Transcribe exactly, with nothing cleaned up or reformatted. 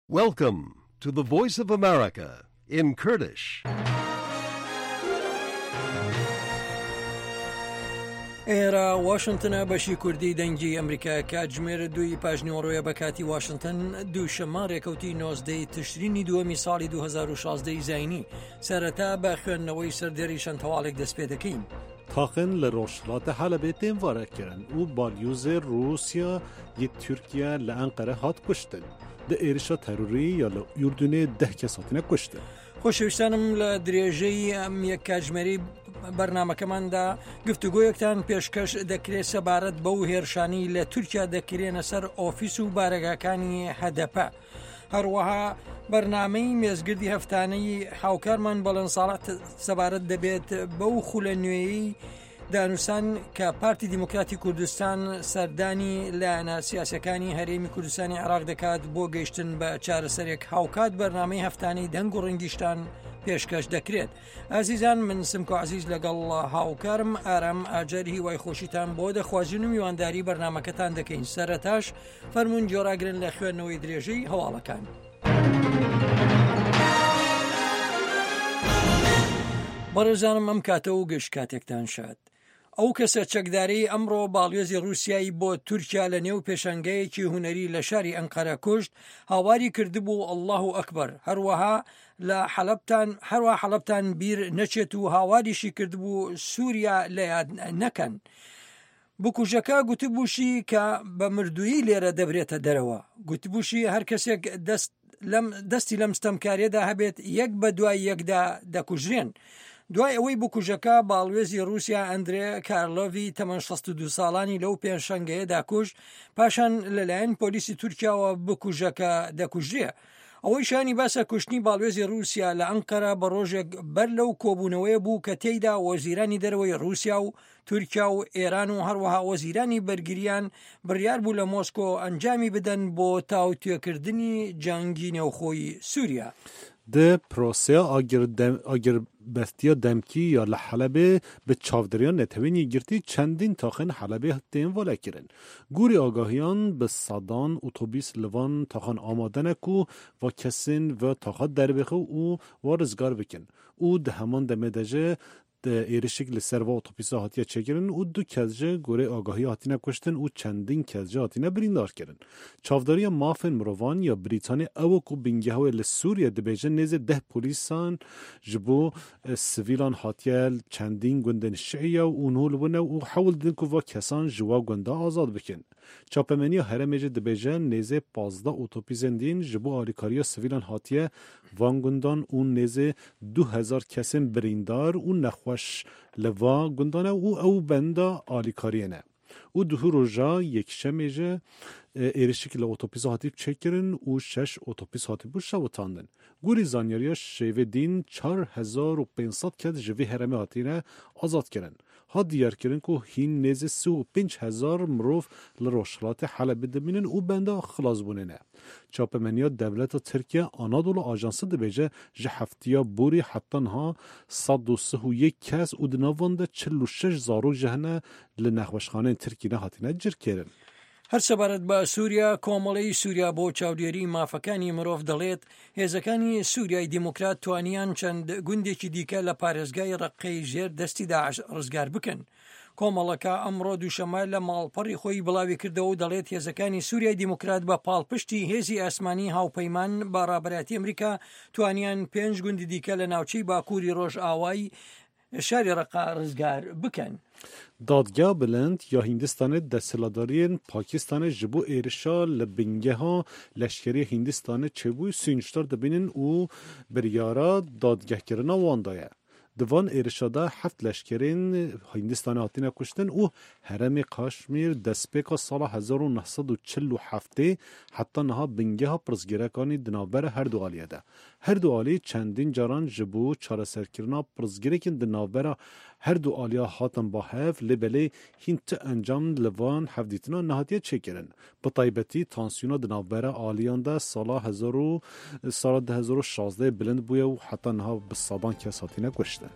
Welcome to the Voice of America in Kurdish. ئێرە واشنتنە بەشی کوردی دەنگی ئەمریکا کاتژمێر دووی پاژنیوەڕۆیە بە کاتی واشنتن دووشەممە ڕێکەوتی نۆزدەی تشرینی دووەمی ساڵی دوو هەزار و شازدە ی زاینی سەرەتا بە خوێندنەوەی سەردێری چەند هەواڵێک دەست پێ دەکەین. تاخن لە ڕۆژهەڵاتە حەلەبێ تێن ڤارە کرن و بالیوزێ ڕووسیا یê تورکیە لە ئەنقەرە هات کوشتن. Di êrişa terorî ya li Urdunê deh kes hatine kuştin. خۆشەویستانم لە درێژەی ئەم یەک کاتژمێری بەرنامەکەماندا گفتوگۆیەکتان پێشکەش دەکرێت سەبارەت بەو هێرشانی لە تورکیا دەکرێنە سەر ئۆفیس و بارەگاکانی هەدەپە. هەروەها بەرنامەی مێزگردی هەفتانەی هاوکارمان بەڵێن ساڵح سەبارەت دەبێت بەو خولە نوێیەی دانوسان کە پارتی دیموکراتی کوردستان سەردانی لایەنە سیاسەکانی هەرێمی کوردستانی عێراق دەکات بۆ گەیشتن بە چارەسەرێک. هاوکات بەرنامەی هەفتانەی دەنگ و ڕەنگیشتان پێشکەش دەکرێت. ئازیزان من سمکۆ عزیز لەگەڵ هاوکارم ئارام ئاجەر هیوای خۆشیتان بۆ دەخوازین و میوانداری بەرنامەکەتان دەکەین. سەرەتاش فەرمونون جۆراگرن لە خوێندنەوەی درێژەی هەواڵەکان. بەڕێزانم ئەم کاتە و گشت کاتێکتان شاد. ئەو کەسە چەکدارەی ئەمڕۆ باڵیۆزی ڕووسیایی بۆ تورکیا لە نێو پێشەنگەیەکی هوەری لە شاری ئەنقەرە کوشت هاواری کردبوو ئەللاهو ئەکبەر. هەروەها لە حەلەبتان هەروە حەلەبتان بیر نەچێت و هاواریشی کردبوو سووریا لە یاد نەکەن. بکوژەکە گوتبووشی کە بە مردوویی لێرە دەبرێتە دەرەوە. گوتبووشی هەر کەسێک دەست لەم دەستی لەم ستەمکاریەدا هەبێت یەک بە دوای یەکدا دەکوژرێن. دوای ئەوەی بکوژەکە باڵوێزی رووسیا ئەندرێ کارلۆڤی تەمەن شەست و دوو ساڵانی لەو پێشەنگەیەدا کوشت، پاشان لەلایەن پۆلیسی تورکیاوە بکوژەکە دەکوژرێ. ئەوەی شانی باسە کوشتنی باڵوێزی رووسیا لە ئەنقەرە بە ڕۆژێک بەر لەو کۆبوونەوەیە بوو کە تێیدا وەزیرانی دەرەوەی رووسیا و تورکیا و ئێران و هەروەها وەزیرانی بەرگریان بڕیار بوو لە مۆسکۆ ئەنجامی بدەن بۆ تاوتوێکردنی جەنگی نێوخۆی سووریا. Di proseya agirbestiya demkî ya li Helebê bi çavdêriya Neteweyên Yekgirtî çendîn taxên Helebê tên valekirin. Gorî agahiyan bi sedan otobîs li van taxan amade ne ku va kesên ve taxa derbixe û wa rizgar bikin û di heman demê de jî êrişek li ser va otobîsa hatiye çêkirin û du kes ji gorê agahî hatine kuştin û çendîn kes jî hatine birîndar kirin. Çavdariya mafên mirovan ya Brîtanî ew ku bingeha wê li Sûriye dibêjin nêzî deh polîsan ji bo sivîlan hatiye çendîn gundên Şiiye û nû li bûne û hewl didin ku va kesan ji wa gunda azad bikin. Çapemeniya herêmê jî dibêje nêzê pazdeh otobîsên din ji bo alîkariya sivîlan hatiye van gundan û nêzê du hezar kesên birîndar û nexweş li va gundan e û ew benda alîkariyê ne. Û duh roja yekşemê jî êrişek li otobîsa hatî çêkirin û şeş otobîs hatibû şewitandin. Gorî zanyariya şêvê dîn çar hezar û pênc sed kes ji vê herêmê hatine azad kirin. Hat diyarkirin ku hîn nêzî sî û pênc hezar mirov li Rojhilatê Helebê dimînin û benda xilasbûnê ne. Çapemeniya Dewleta Tirkiye Anadolu Ajansı dibêje ji heftiya borî heta niha sed û sih û yek kes û di nav wan de çil û şeş zarok ji hene li nexweşxaneyên Tirkiyê hatine cirkirin. هەر سەبارەت بە سووریا، کۆمەڵەی سووریا بۆ چاودێری مافەکانی مرۆڤ دەڵێت هێزەکانی سووریای دیموکرات توانیان چەند گوندێکی دیکە لە پارێزگای ڕەققەی ژێر دەستی داعش ڕزگار بکەن. کۆمەڵەکە ئەمڕۆ دووشەممە لە ماڵپەڕی خۆی بڵاوی کردەوە و دەڵێت هێزەکانی سووریای دیموکرات بە پاڵپشتی هێزی ئاسمانی هاوپەیمان بە ڕابەرایەتی ئەمریکا توانیان پێنج گوندی دیکە لە ناوچەی باکووری ڕۆژئاوای شاری ڕەقا ڕزگار بکەن. دادگا بلند یا هیندستانê desthilatdariyên Pakistanê ji bo êrişa li bingeha leşkerî Hindistanê çêbû sûcdar dibînin û biryara dadgehkirina wan daye. Di van êrişa de heft leşkerên Hindistanê hatine kuştin û herêmê Kaşmîr destpêka sala hezar û neh sed û çil û heftê heta niha bingeha pirsgirêkanî di navbera her du aliye de. Her du alî çendîn caran ji bo çareserkirina pirsgirêkên di navbera her du aliya hatin ba hev lê belê hîn ti encam li van hevdîtina nehatiye çêkirin. Bi taybetî tansiyona di navbera aliyan de sala hezar û sala du hezar û şazdeh bilind bûye û heta niha bi sedan kes hatine kuştin.